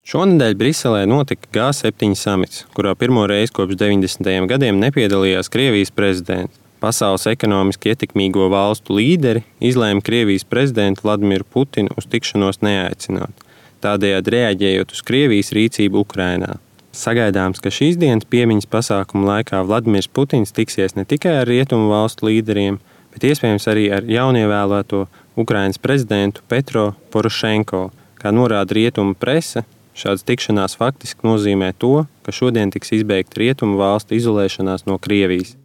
Šonedēļ Briselē notika G7 samits, kurā pirmo reizi kopš 90. gadiem nepiedalījās Krievijas prezidents. Pasaules ekonomiski ietekmīgo valstu līderi izlēma Krievijas prezidentu Vladimiru Putinu uz tikšanos neaicināt, tādējādi reaģējot uz Krievijas rīcību Ukrainā. Sagaidāms, ka šīs dienas piemiņas pasākumu laikā Vladimirs Putins tiksies ne tikai ar rietumu valstu līderiem, bet iespējams arī ar jaunievēlēto Ukrainas prezidentu Petro Porošenko. Kā norāda rietumu prese, šādas tikšanās faktiski nozīmē to, ka šodien tiks izbeigta rietumu valstu izolēšanās no Krievijas.